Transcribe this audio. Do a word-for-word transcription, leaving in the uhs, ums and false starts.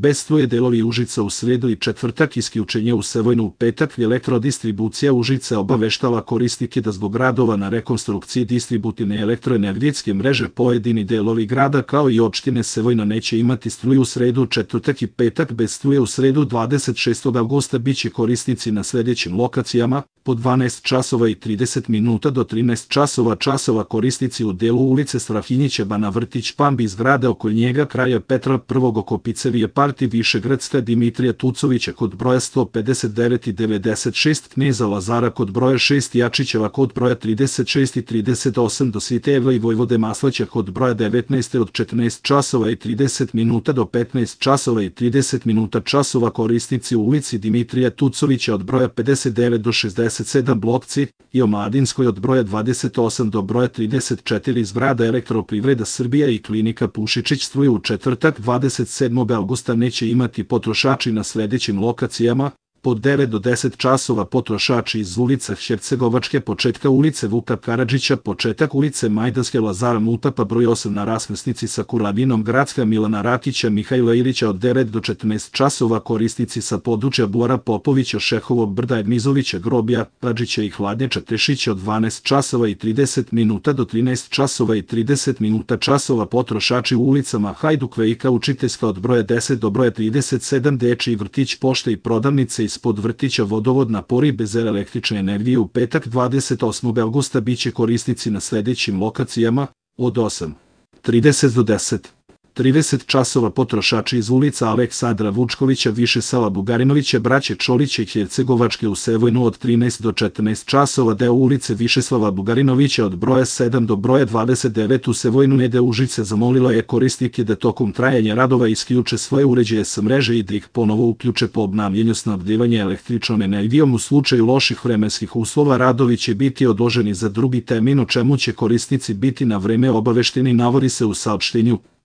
bez struje delovi Užica u sredu i četvrtak, isključenje u Sevojnu u petak. Elektrodistribucija Užica obaveštava korisnike da zbog radova na rekonstrukciji distributivne elektroenergetske mreže pojedini delovi grada kao i opštine Sevojna neće imati struju u sredu, četvrtak i petak. Bez struje u sredu dvadeset šestog avgusta biće korisnici na sledećim lokacijama: po dvanaest časova i trideset minuta do trinaest časova časova korisnici u delu ulice Strahinjića, Bana Vrtić, Pambi, zgrade oko njega, kraja Petra prvog oko Picerije Parti, Višegradska, Dimitrija Tucovića kod broja sto pedeset devet i devedeset šest, Kneza Lazara kod broja šest, Jačićeva kod broja trideset šest i trideset osam do Svitevla i Vojvode Maslaća kod broja devetnaest od četrnaest časova i trideset minuta do petnaest časova i trideset minuta časova korisnici u ulici Dimitrija Tucovića od broja pedeset devet do šezdeset sedam Blokci i Omladinskoj od broja dvadeset osam do broja trideset četiri, zgrada Elektroprivreda Srbija i Klinika Pušičić. Struju u četvrtak dvadeset sedmog avgusta neće imati potrošači na sledećim lokacijama: pod devet do deset časova potrošači iz ulice Hercegovačke, početka ulice Vuka Karadžića, početak ulice Majdanske, Lazara Mutapa broj osam na raskrsnici sa Kurlavinom, Gradska, Milana Rakića, Mihajla Ilića od devet do četrnaest časova korisnici sa područja Bora Popovića, Šehovog brda, Edmizovića, Grobja, Radžića i Hladnjača, Tešića od dvanaest časova i trideset minuta do trinaest časova i trideset minuta časova potrošači u ulicama Hajduk Vejka, Učiteljska od broja deset do broja trideset sedam, Dečiji vrtić, pošta i prodavnice ispod vrtića, vodovod, napori bez električne energije. U petak dvadeset osmog avgusta biće korisnici na sledećim lokacijama: od osam trideset do deset trideset časova potrošači iz ulica Aleksandra Vučkovića, Višeslava Bugarinovića, braće Čolića i Hercegovačke u Sevojnu od trinaest do četrnaest časova, deo ulice Višeslava Bugarinovića od broja sedam do broja dvadeset devet u Sevojnu. Nede Užice zamolila je korisnike da tokom trajanja radova isključe svoje uređaje sa mreže i da ih ponovo uključe po obnavljanju snabdevanja električnom energijom. U slučaju loših vremenskih uslova radovi će biti odloženi za drugi termin, o čemu će korisnici biti na vreme obavešteni, navodi se u saopštenju.